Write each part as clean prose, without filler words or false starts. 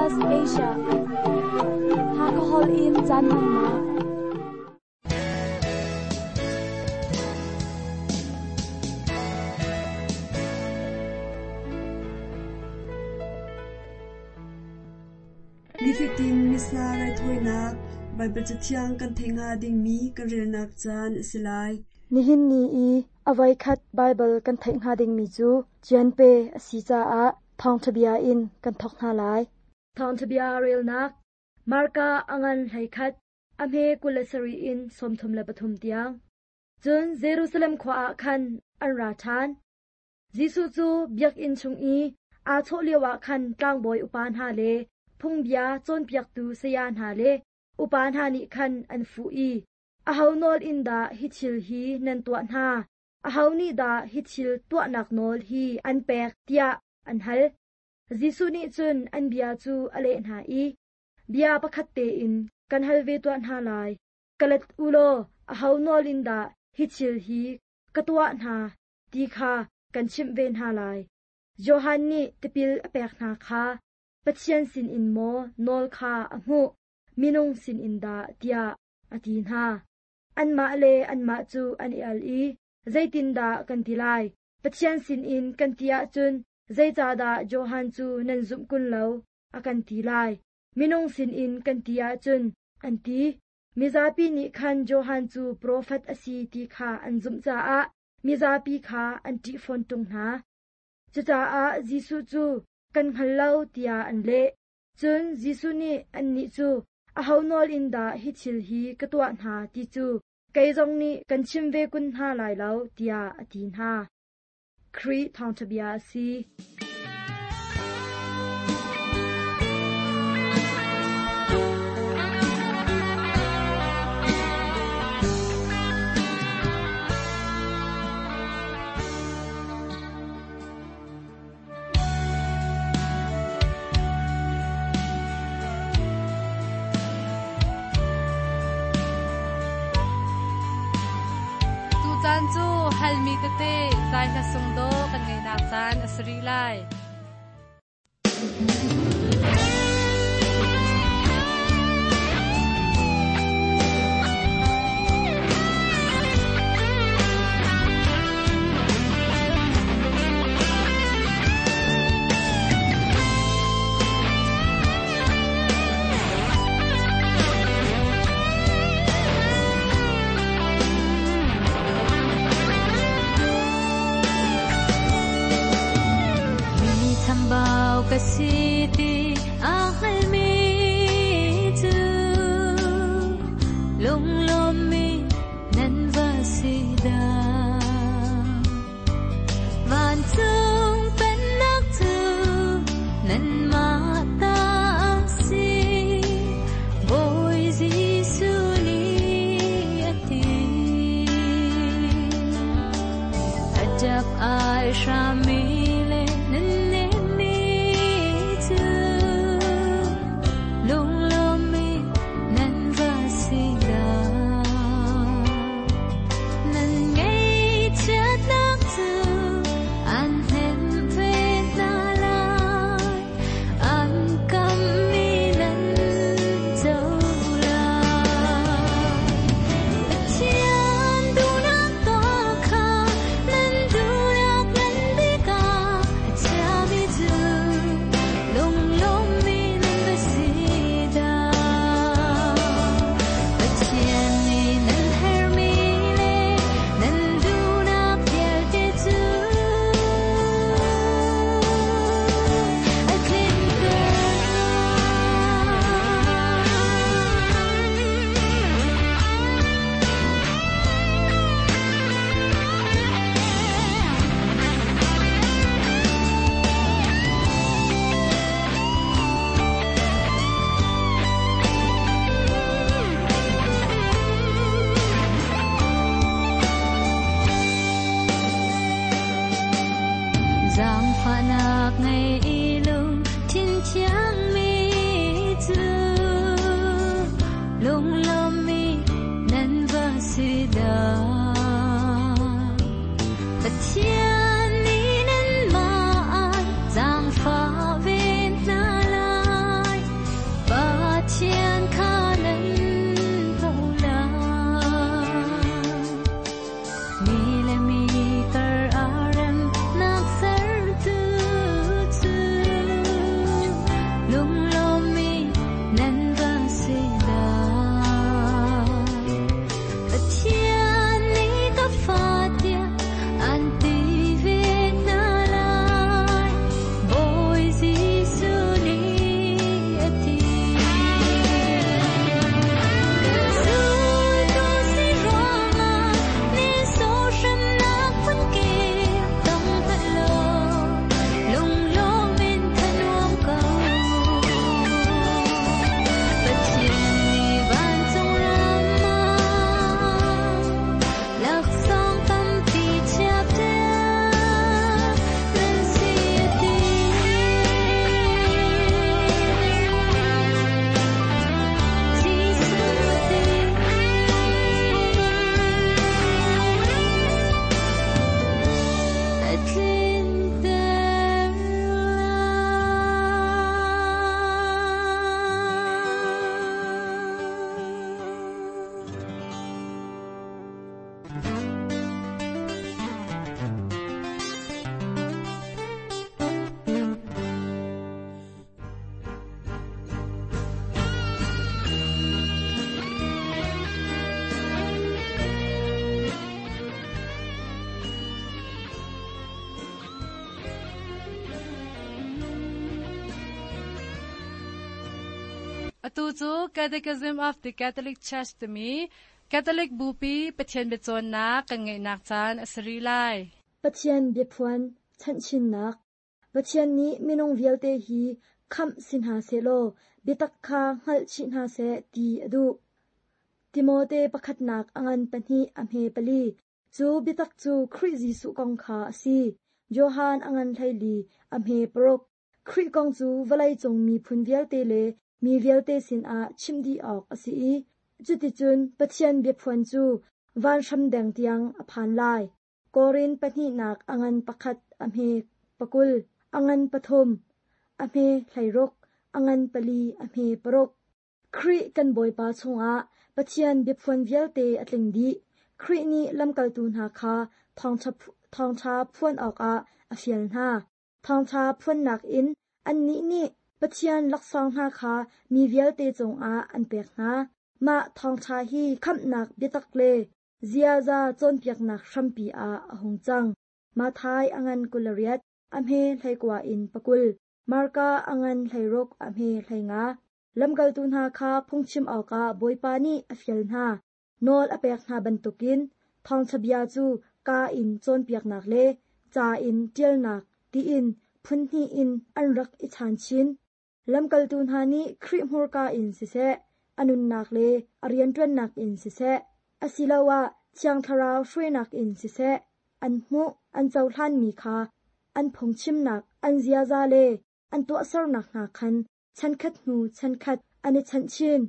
SBS Asia. Hakahol in caan hmannak. Nifatin Missa raithawinak Baibal Cathiang kan theih hnga dingmi kan relnak caan a si lai. Nihin ni i a voikhat Baibal kan theih hnga dingmi cu Cianpe a si caah thawngṭha bia in kan thawk hna lai. Thawngṭha bia relnak Marka a ngan 11, a hme 27 in 33 tiang. Cun Jerusalem khua ah khan an ra ṭhan. Jesuh cu biakinn chung i aa chawh lioah khan tlangbawi upa hna le phungbia cawnpiaktu saya hna le upa hna nih khan an fuh i, Aho nawl in dah hi thil hi nan tuah hna? Aho nih dah hi thil tuahnak nawl hi an pek? tiah an hal. Jesuh nih cun an bia cu a leh hna i, Bia pakhat tein kan hal ve tuah hna lai. Ka let u law aho nawl in dah hi thil hi ka tuah hna ti kha kan chimh ve hna lai. Johan nih tipil a pek hna kha Pathian sinin maw nawl kha a hmuh, minung sinin dah tiah a ti hna. Anmah le anmah cu an i al i, Zeitindah kan ti lai? Pathian sinin kan ti ahcun zeicahdah Johan cu nan zumh kun lo, a kan ti lai. Minung sinin kan ti ahcun, an ti. Mizapi nih khan Johan cu profet a si ti kha an zumh caah mizapi kha an ṭih fawn ṭung hna. Cucaah Jesuh cu, Kan hngal lo, tiah an leh. Cun Jesuh nih annih cu, Aho nawl in dah hi thil hi ka tuah hna ti cu kei zong nih kan chim ve kun hna lai lo, tiah a ti hna. Khrih Thawngṭha Bia a si. Tucaan cu halmi tete zai hla sung dawh kan ngeihnak caan a si rih lai. Mi chambau ka si. Atu cu Catechism of the Catholic Church timi Catholic Bupi Pathian biacawnnak kan ngeihnak caan a si rih lai. Pathian biaphuan chanhchinnak Pathian nih minung vialte hi khamh si hna sehlaw biatak kha hngalh chih hna seh ti a duh. Timote pakhatnak a ngan pahnih a hme pali Cu biatak cu Khrih Jesuh kong kha a si. Johan a ngan 14 a hme paruk. Khrih kong cu vawleicung miphun vialte le mi vialte sinah chimh dih awk a si i cuticun Pathian biaphuan cu vanhram deng tiang a phan lai. Korin pahnihnak a ngan pakhat a hme pakul, a ngan pathum, a hme 16, a ngan pali a hme paruk. Khrih kan Bawipa chungah Pathian biaphuan vialte a tling dih. Khrih nih lamkaltu hna kha thawngṭha phuan awkah a fial hna. Thawngṭha phuannak in annih nih Pathian laksawng hna kha mi vialte cungah an pek hna. Mah thawngṭha hi khamhnak biatak le ziaza cawnpiaknak hrampi ah a hung cang. Matthai a ngan 28, a hme 19 in 20. Marka a ngan 16, a hme 15. Lamkaltu hna kha phungchim awkah Bawipa nih a fial hna. Nawl a pek hna bantukin thawngṭha bia cu kaa in cawnpiaknak le ca in ṭialnak tiin phunhnih in an rak i chaan chin. Lamkaltu hna nih Khrih hmurka in siseh, a nunnak le a rianṭuannak in siseh, asiloah Thiang Thlarau hruainak in siseh, an hmuh, an cohlanmi kha an phungchimnak, an ziaza le an tuahsernak hna khan chankhat hnu chankhat an i chanh chin.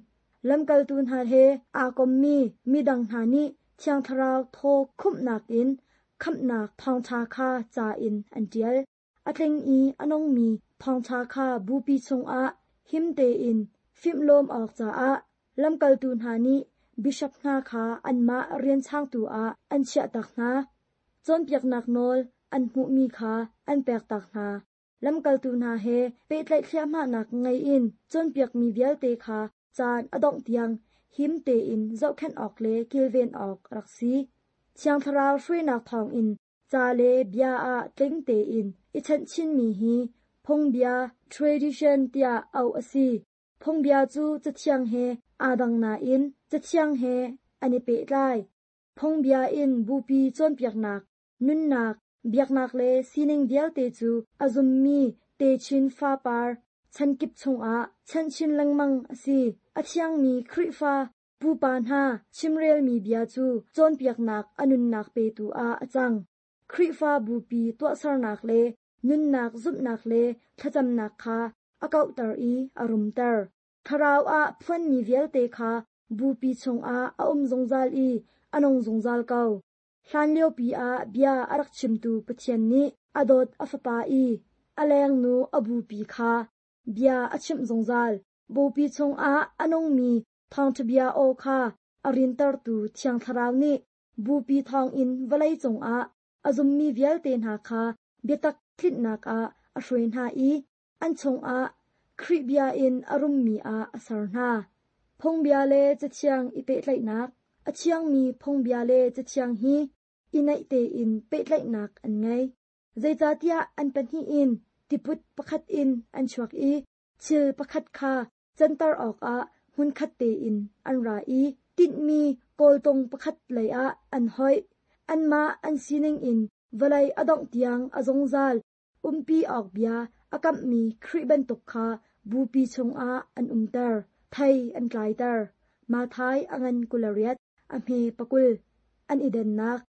Lamkaltu hna he aa kommi midang hna nih Thiang Thlarau thaw khumhnak in khamhnak thawngṭha kha ca in an ṭial. A tling i a nungmi thawngṭha kha bupi chungah him tein fimhlawm awk caah lamkaltu hna nih bishop hna kha anmah rian changtu ah an chiahtak hna. Cawnpiaknak nawl an hmuhmi kha an pektak hna. Lamkaltu hna he pehtlaih thliahmahnak ngei in cawnpiakmi vialte kha caan a dongh tiang him tein zohkhenh awk le kilven awk a rak si. Thiang Thlarau hruainak thawngin ca le bia ah tling tein i chanh chinmi hi phungbia tradition tiah auh a si. Phungbia cu Cathiang he aa dang nain Cathiang he an i pehtlai. Phungbia in bupi cawnpiaknak, nunnak, biaknak le sining vialte cu a zummi techin fapar chankip chungah chanh chin lengmang a si. A thiangmi Khrihfa pupa hna chimrelmi bia cu cawnpiaknak a nunnak petu ah a cang. Khrihfa bupi tuahsernak le nunnak zumhnak le thlacamnak kha a kauhter i a rumter. Thlarau ah phuanmi vialte kha bupi chungah a um zungzal i a nung zungzal ko. Hlanliopi ah bia a rak chimtu Pathian nih a dawt a Fapa i a lengnu a bupi kha bia a chimh zungzal. Bupi chungah a nungmi thawngṭha bia aw kha a rintertu Thiang Thlarau nih bupi thawngin vawlei cungah a zummi vialte hna kha biatak tlinhnak ah a hruai hna i an chungah Khrih bia in a rummi ah a ser hna. Phungbia le Cathiang i pehtlaihnak A thiangmi phungbia le Cathiang hi i naih tein pehtlaihnak an ngei. Zeicahtiah an pahnih in tiput pakhat in an chuak i thil pakhat kha canter awkah hmunkhat tein an ra i tinhmi kawltung pakhat leiah an hoih. Anmah an sining in vawlei a dongh tiang a zungzal umpi awk bia a kamhmi Khrih bantuk kha bupi chungah an umter, thei an tlaiter. Matthai a ngan 28, a hme 20. An i dennak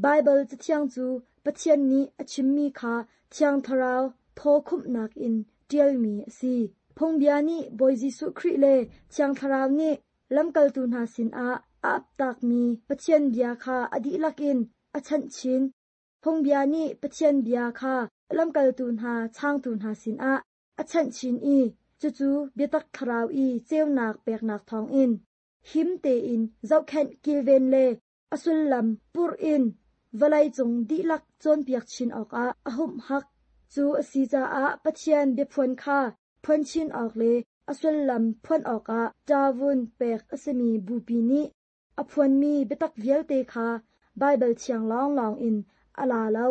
Baibal Cathiang cu Pathian nih a chimmi kha Thiang Thlarau thaw khumhnak in ṭialmi a si. Phungbia nih Bawi Jesuh Khrih le Thiang Thlarau nih lamkaltu hna sinah a aptakmi Pathian bia kha a dihlak in a chanh chin. Phungbia nih Pathian bia kha lamkaltu hna changtu hna sinah a chanh chin i cucu biatak thlarau i ceunak peknak thawngin him tein zohkhenh kilven le a sullam purh in vawleicung dihlak cawnpiak chin awkah a humhak. Cu a si caah Pathian biaphuan kha phuan chin awk le a sullam phuan awkah ṭavun pek a simi bupi nih a phuanmi biatak vialte kha Baibal thiang lawnglawng in a la lo.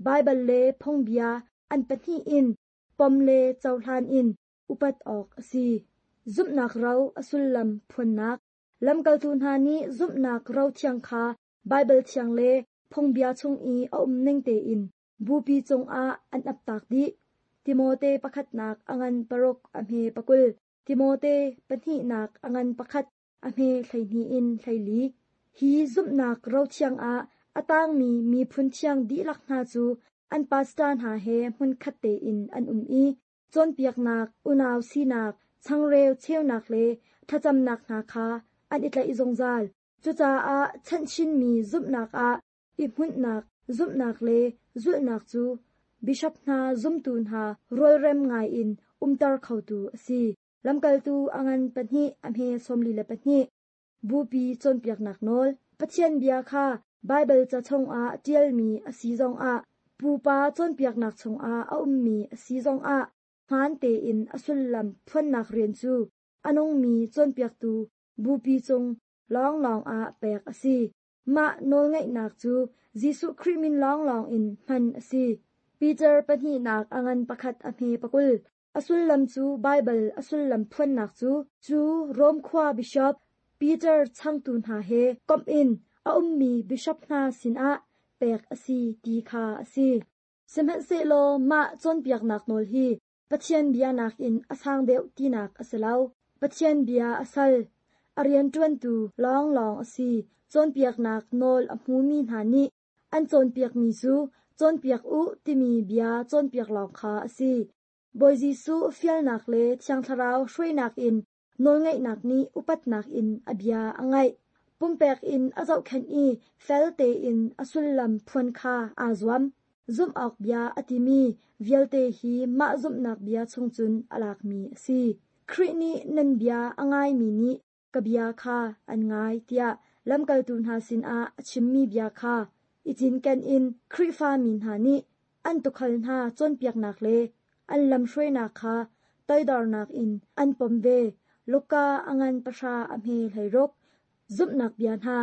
Baibal le phungbia an pahnih in pom le cohlan in upat awk a si. Zumhnak ro a sullam phuannak. Lamkaltu hna nih zumhnak ro thiang kha Baibal thiang le phungbia chung i a um ning tein bupi cungah an aptak dih. Timote pakhatnak a ngan paruk a hme pakul, Timote pahnihnak a ngan pakhat a hme 12 in 14. Hi zumhnak ro thiang ah a tangmi miphun thiang dihlak hna cu an pastor hna he hmunkhat tein an um i cawnpiaknak, unau sinak, changreu cheunak le thlacamnak hna kha an i tlaih zungzal. Cucaah chanhchinmi zumhnak ah i hmunhnak, zumhnak le zulhnak cu bishop hna zumtu hna rualrem ngaiin umter khotu a si. Lamkaltu a ngan pahnih a hme 42. Bupi cawnpiaknak nawl. Pathian bia kha Baibal ca chungah ṭialmi a si zongah, pupa cawnpiaknak chungah a ummi a si zongah hmaan tein a sullam phuannak rian cu a nungmi cawnpiaktu bupi cung lawnglawng ah pek a si. Mah nawlngeihnak cu Jesuh Khrih min lawnglawng in hman a si. Peter pahnihnak a ngan pakhat a hme pakul. A sullam cu Baibal a sullam phuannak cu cu Rom khua bishop Peter changtu hna he komh in a ummi bishop hna sinah pek a si ti kha a si. Sihmanhsehlaw mah cawnpiaknak nawl hi Pathian bia nakin a sang deuh tinak a si lo. Pathian bia a sal, a rianṭuantu lawnglawng a si. Cawnpiaknak nawl a hmumi hna nih an cawnpiakmi cu cawnpiak u timi bia cawnpiak lawng kha a si. Bawi Jesuh fialnak le Thiang Thlarau hruainak in nawlngeihnak nih upatnak in a bia a ngaih. Pumpek in a zohkhenh i fel tein a sullam phuan kha aa zuam. Zumh awk bia a timi vialte hi mah zumhnak bia chung cun a lakmi a si. Khrih nih nan bia a ngaimi nih ka bia kha an ngai tiah lamkaltu hna sinah a chimmi bia kha i cinken in Khrihfa mi hna nih an tuukhal hna cawnpiaknak le an lamhruainak kha toidornak in an pom ve. Luka a ngan pahra a hme 16. Zumhnak bia hna.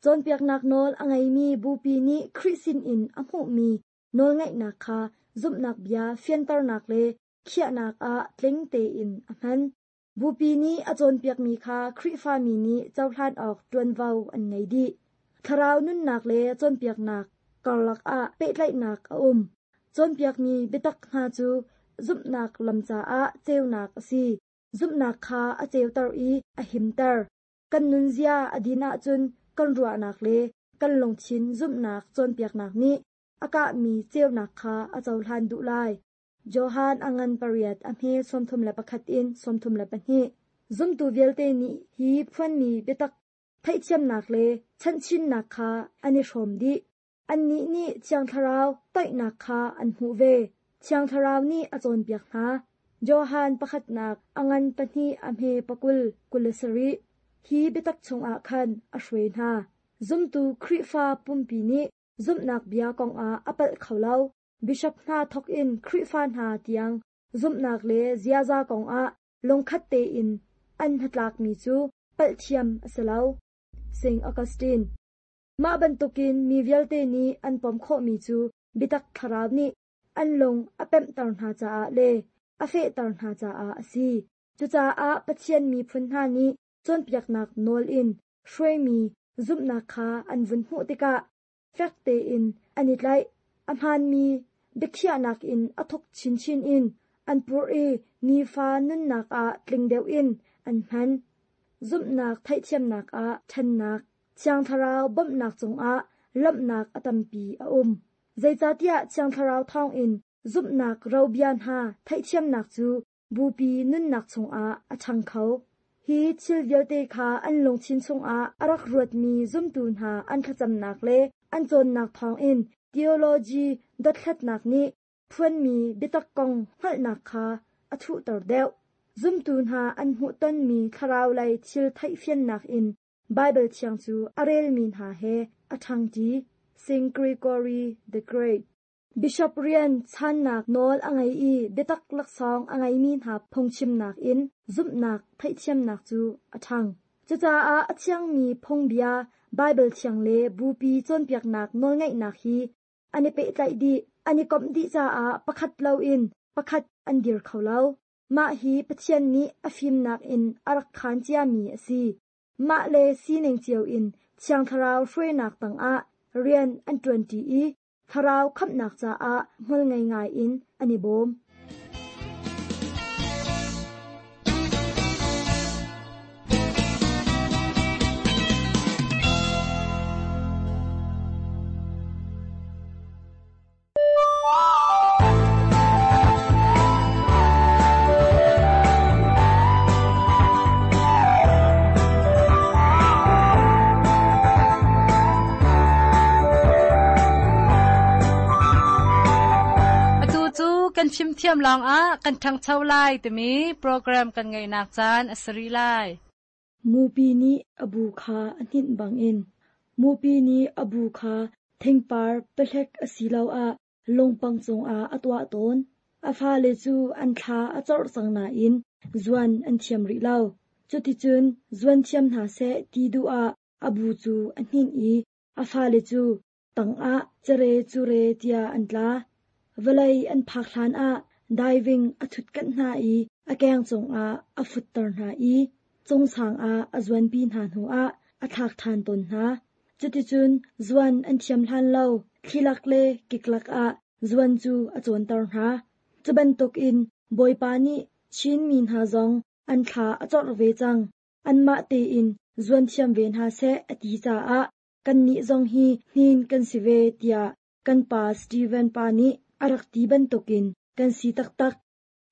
Cawnpiaknak nawl a ngeimi bupi nih Khrih sinin a hmuhmi nawlngeihnak kha zumhnak bia fianternak le khiahnak ah tling tein a hman. Bupi nih a cawnpiakmi kha Khrihfami nih cohlan awk ṭuanvo an ngei dih. Thlarau nunnak le cawnpiaknak karlak ah pehtlaihnak a um. Cawnpiakmi biatak hna cu zumhnak lam caah ceunak a si. Zumhnak kha a ceuter i a himter. Kan nunzia a din ahcun kan ruahnak le kan lungthin zumhnak cawnpiaknak nih a kahmi ceunak kha a cohlan duh lai. Johan a ngan pariat a hme 31 in 32. Zumtu vialte nih hi phuanmi biatak theihthiamnak le chanhchinnak kha an i hrawm dih. Annih nih Thiang Thlarau toihnak kha an hmuh ve. Thiang Thlarau nih a cawnpiak hna. Johan pakhatnak a ngan pahnih a hme pakul 27. Hi biatak chungah khan a hruai hna. Zumtu Khrihfa pumpi nih zumhnak bia kongah a palh kho lo. Bishop hna thawkin Khrihfa hna tiang zumhnak le ziaza kongah lungkhat tein an hnatlakmi cu palhthiam a si lo. St. Augustine. Mah bantukin mi vialte nih an pom khawhmi cu biatak thlarau nih an lung a pemhter hna caah le a fehter hna caah a si. Cucaah Pathian miphun hna nih cawnpiaknak nawl in hruaimi zumhnak kha an vun hmuh tikah fek tein an i tlaih. A hmaanmi biakhiahnak in a thuk chinchin in an purh i nifa nunnak ah tling deuh in an hman. Zumhnak theihthiamnak ah ṭhannak, Thiang Thlarau bawmhnak cungah lawmhnak a tampi a um. Zeicahtiah Thiang Thlarau thawngin zumhnak robia hna theihthiamnak cu bupi nunnak chungah a ṭhang kho. Hi thil vialte kha an lungthin chungah a rak ruatmi zumtu hna an thlacamnak le an cawnnak thawngin theology dothlatnak nih phuanmi biatak kong hngalhnak kha a thuhter deuh. Zumtu hna an hmuhtonmi thlaraulei thil theihfiannak in Baibal Thiang cu a relmi hna he a ṭhangṭi. St. Gregory the Great. Bishop rian channak nawl a ngei i biatak laksawng a ngeimi hna phungchimnak in zumhnak theihthiamnak cu a ṭhang. Cucaah a thiangmi phungbia, Baibal Thiang le Bupi cawnpiaknak nawlngeihnak hi an i pehtlaih dih, an i komh dih caah pakhat loin pakhat an dir kho lo. Mah hi Pathian nih a fimnak in a rak khaan ciami a si. Mah le sining cio in Thiang Thlarau hruainak tangah rian an ṭuanṭi i thlarau khamhnak caah hmualngei ngai in an i bawm. Atu cu kan fimthiam lawngah kan ṭhangcho lai timi program kan ngeihnak caan a si rih lai. Mupi nih a bu kha a hninh bangin mupi nih a bu kha thingpar pahlek asiloah lungpang cungah a tuah tawn. A fale cu an thla a corh cang nain zuan an thiam rih lo. Cuticun zuan thiam hna seh ti duh ah a bu cu a hninh i a fale cu tangah cere cure tiah an tla. Vawlei an phak hlanah diving a ṭhutkanh hna i a keng cungah a futter hna i cungsang ah a zuanpi hna hnuah a thlak ṭhan tawn hna. Cuticun zuan an thiam hlan lo thlilak le kiklak ah zuan cu a cawnter hna. Cu bantukin Bawipa nih Chin mi hna zong an thla a corh ve cang. Anmah tein zuan thiam ve hna seh a ti caah kannih zong hi hnin kan si ve tiah kan pa Steven pa nih a rak ti bantukin kan si taktak.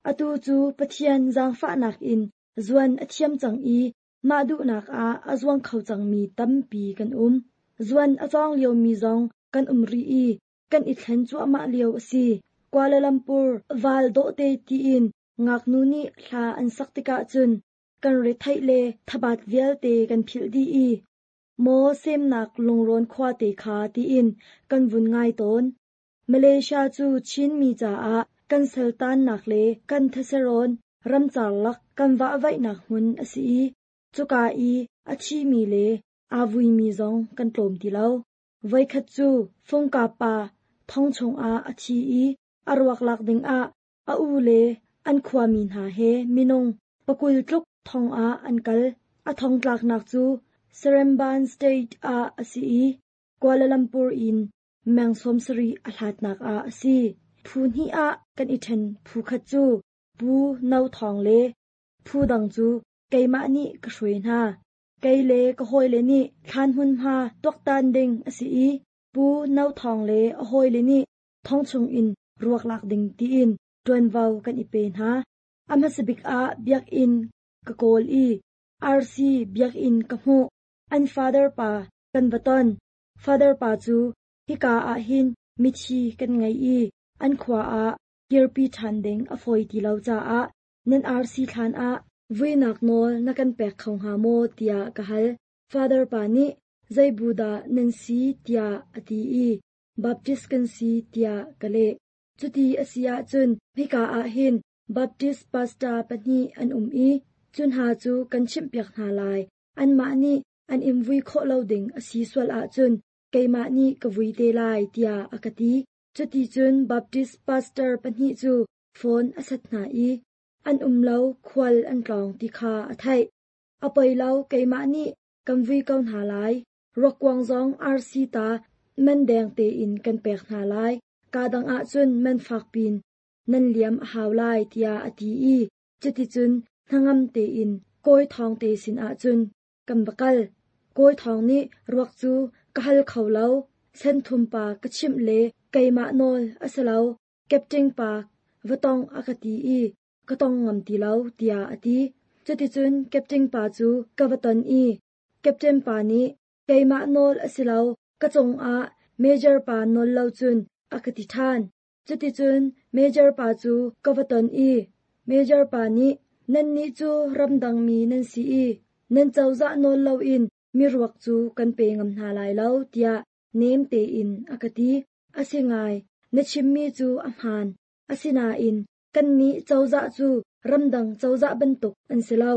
Atu cu Pathian zaangfahnak in zuan a thiam cang i mah duhnak ah a zuang kho cangmi tampi kan um. Zuan a cawng liomi zong kan um rih i kan i thlen cuahmah lio a si. Kuala Lumpur val dawhte tiin ngaknu nih hla an sak tikah cun kan retheih le thabat vialte kan philh dih i maw semnak lungrawn khuate kha tiin kan vun ngai tawn. Malaysia cu Chinmi caah kan saltannak le kan theserawn ramcar lak kan vahvaihnak hmun a si i cuka i a thimi le aa vuimi zong kan tlawm ti lo. Voikhat cu Fungkap pa thong chungah a thi i a ruak lak dingah a u le an khuami hna he minung pakul tluk thong ah an kal. A thongtlaknak cu Seremban State ah a si i Kuala Lumpur in meng 70 a hlatnak ah a si. Phu hnih ah kan i ṭhen phu khat cu Pu No Thawng le phu dang cu keimah nih ka hruai hna. Kei le ka hawile nih thlan hmunhma tuaktan ding a si i Pu No Thawng le a hawile nih thong chungin ruak lak ding tiin ṭuanvo kan i pe hna. A hmasabik ah biakinn ka kawl i RC biakinn ka hmuh. An father pa kan va ton. Father pa cu hika ah hin mithi kan ngei i an khua ah kirpi ṭhan ding a fawi ti lo caah nan RC thlan ah vuinak nawl na kan pek kho hnga maw tiah ka hal. Father pa nih zei bu dah nan si tiah a ti i Baptist kan si tiah ka leh. Cuti a si ahcun hika ah hin Baptist pastor pahnih an um i cu hna cu kan chimhpiak hna lai. Anmah nih an in vui khawh lo ding a si sual ahcun keimah nih ka vui te lai tiah a ka ti. Cuticun Baptist pastor pahnih cu phone a sat hna i an um lo khual an tlawng ti kha a theih. A poi lo keimah nih kan vui ko hna lai. Ruakkuang zong RC ta man deng tein kan pek hna lai. Kaa dang ahcun man fak pin nan liam a hau lai tiah a ti i cuticun hnangam tein Kawi Thawng te sin ahcun kan va kal. Kawi Thawng nih ruak cu ka hal kho lo, senthum pa ka chimh le keimah nawl a si lo, Captain pa va tong a ka ti i ka tong ngam ti lo tiah a ti. Cuticun Captain pa cu ka va ton i Captain pa nih keimah nawl a si lo, ka cungah Major pa nawl lo cun a ka ti ṭhan. Cuticun Major pa cu ka va ton i Major pa nih nannih cu ramdangmi nan si i nan cozah nawl loin miruak cu kan pe ngam hna lai lo tiah nem tein a ka ti. A si ngai, na chimmi cu a hmaan. Asinain kannih cozah cu ramdang cozah bantuk an si lo.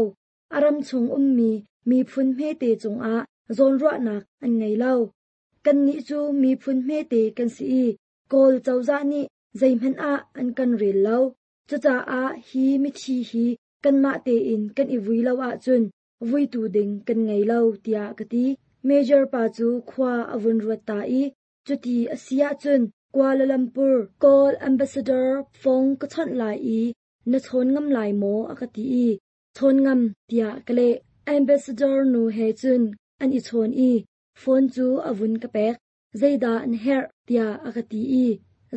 A ram chung ummi miphun hmete cungah zawnruahnak an ngei lo. Kannih cu miphun hmete kan si i Kawl cozah nih zeihmanh ah an kan rel lo. Cucaah hi mithi hi kanmah tein kan i vui lo ahcun vuitu ding kan ngei lo, tiah ka ti. Major pa cu khua a vun ruat ta i, cuti a si ahcun Kuala Lumpur Kawl Ambassador phone ka chawnh lai i na chawn ngam lai maw a ka ti i chawn ngam tiah ka leh. Ambassador nu he cun an i chawn i phone cu a vun ka pek. Zeidah na herh tiah a ka ti i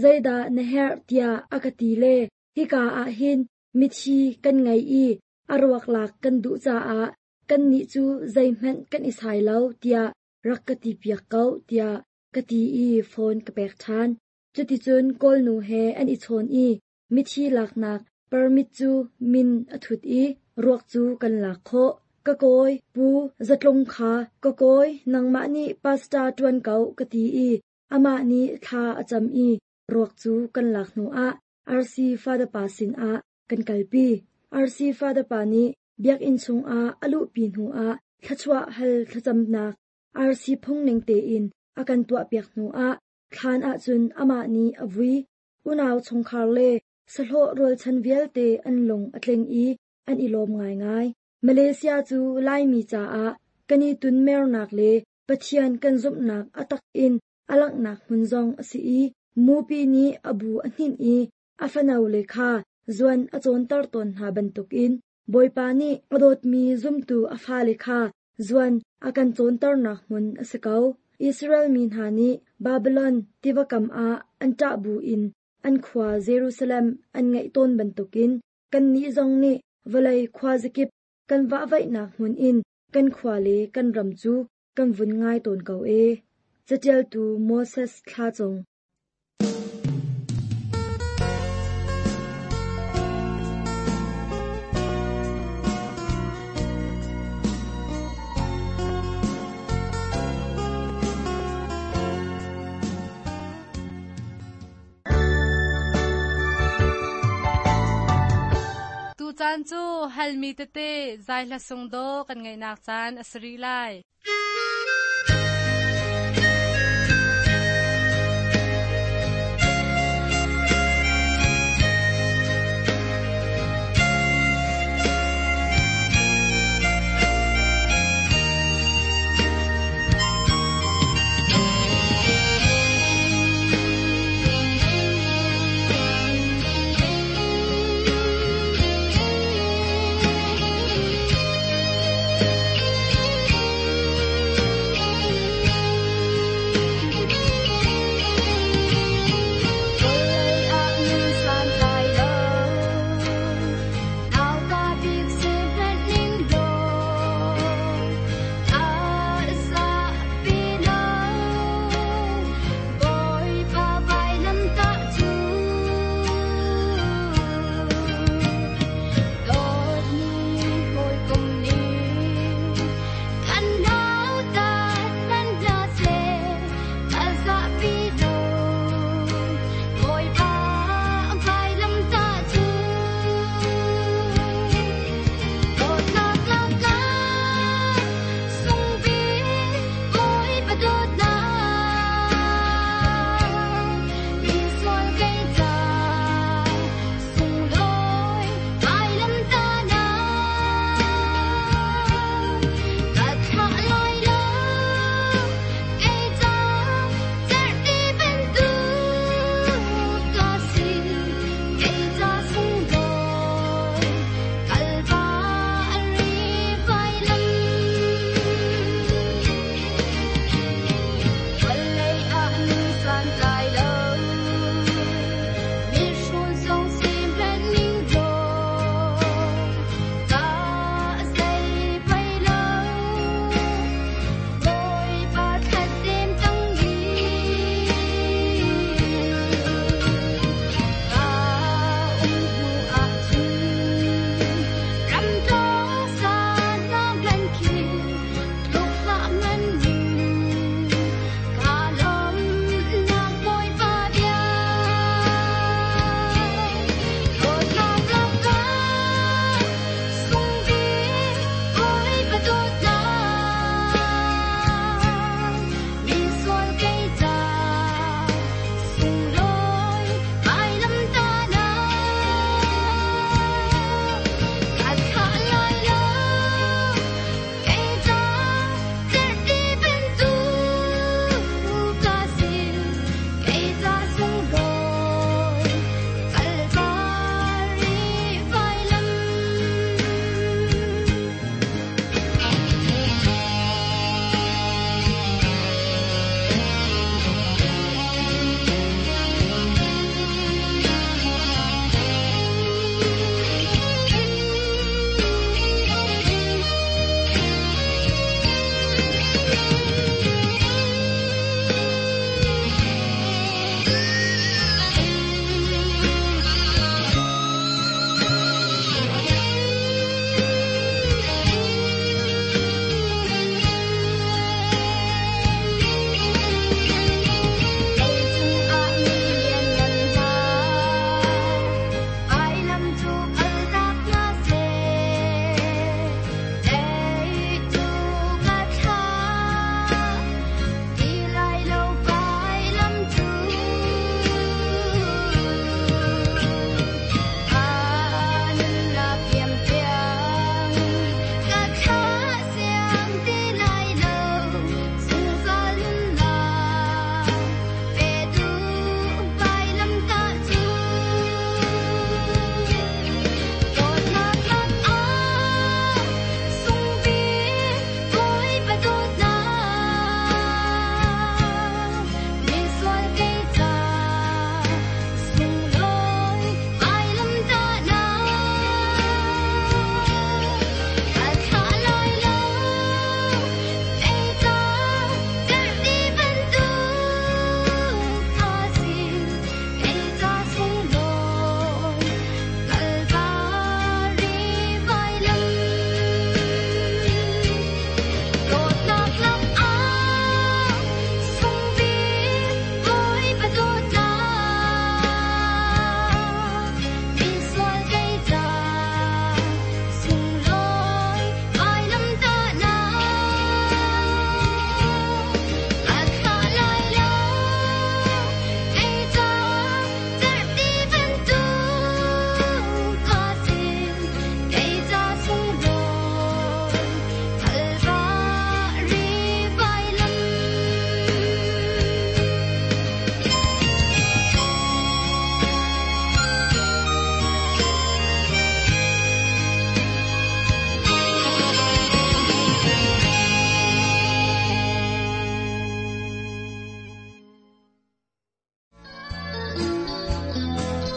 zeidah na herh tiah a ka ti le hika ah hin mithi kan ngei i a ruak lak kan duh caah kannih cu zeihmanh kan i sai lo tiah rak ka ti piak ko tiah ka ti i phone ka pek ṭhan. Cuticun Kawlnu he an i chawn i mithi laknak permit cu min a thut i ruak cu kan lak khawh. Ka kawi Pu Zatlung kha ka kawi nangmah nih pastor ṭuan ko ka ti i amah nih thla a cam i ruak cu kan lak hnuah RC Father pa sinah kan kalpi. RC Father pa nih biakinn chungah a luhpi hnuah thluachuah hal thlacamnak RC phungning tein a kan tuahpiak hnuah thlan ahcun amah nih a vui. Unau chungkhar le sahlawh rualchan vialte an lung a tling i an i lawm ngaingai. Malaysia cu Laimi caah kan i tunmernak le Pathian kan zumhnak a tak in a langhnak hmun zong a si i mupi nih a bu a hninh i a fanole kha zuan a cawnter tawn hna bantukin Bawipa nih a dawtmi zumtu a fale kha zuan a kan cawnternak hmun a si ko. Israel mi hna nih Babylon tiva kam ah an ṭah buin an khua Jerusalem an ngaih tawn bantukin kannih zong nih vawlei khuazakip kan vahvaihnak hmun in kan khua le kan ram cu kan vun ngai tawn ko ee. Caṭialtu Moses Thla Cung. Tucaan cu halmi tete zai hla sung dawh kan ngaihnak caan a si rih lai.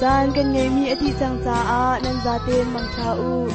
Caan kan ngeihmi a dih cang caah nan zaten mangṭha u.